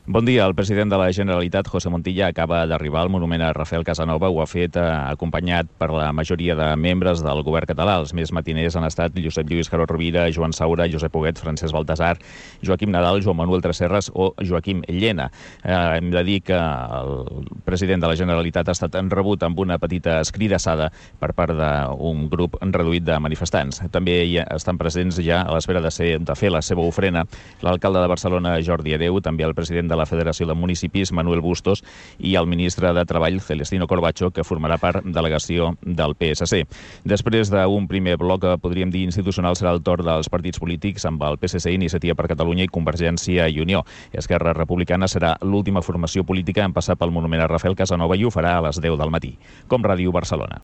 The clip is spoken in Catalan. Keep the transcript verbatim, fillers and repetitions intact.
Bon dia. El president de la Generalitat, José Montilla, acaba d'arribar al monument a Rafael Casanova. Ho ha fet eh, acompanyat per la majoria de membres del govern català. Els més matiners han estat Josep Lluís Carod Rovira, Joan Saura, Josep Huguet, Francesc Baltasar, Joaquim Nadal, Joan Manuel Tresserras o Joaquim Llena. Eh, hem de dir que el president de la Generalitat ha estat rebut amb una petita escridassada per part d'un grup reduït de manifestants. També hi estan presents ja a l'espera de, ser, de fer la seva ofrena l'alcalde de Barcelona, Jordi Hereu, també el president de la Federació de Municipis, Manuel Bustos, i el ministre de Treball, Celestino Corbacho, que formarà part delegació del P S C. Després d'un primer bloc, podríem dir institucional, serà el torn dels partits polítics amb el P S C, Iniciativa per Catalunya i Convergència i Unió. Esquerra Republicana serà l'última formació política en passar pel monument a Rafael Casanova i ho farà a les deu del matí. Com Ràdio Barcelona.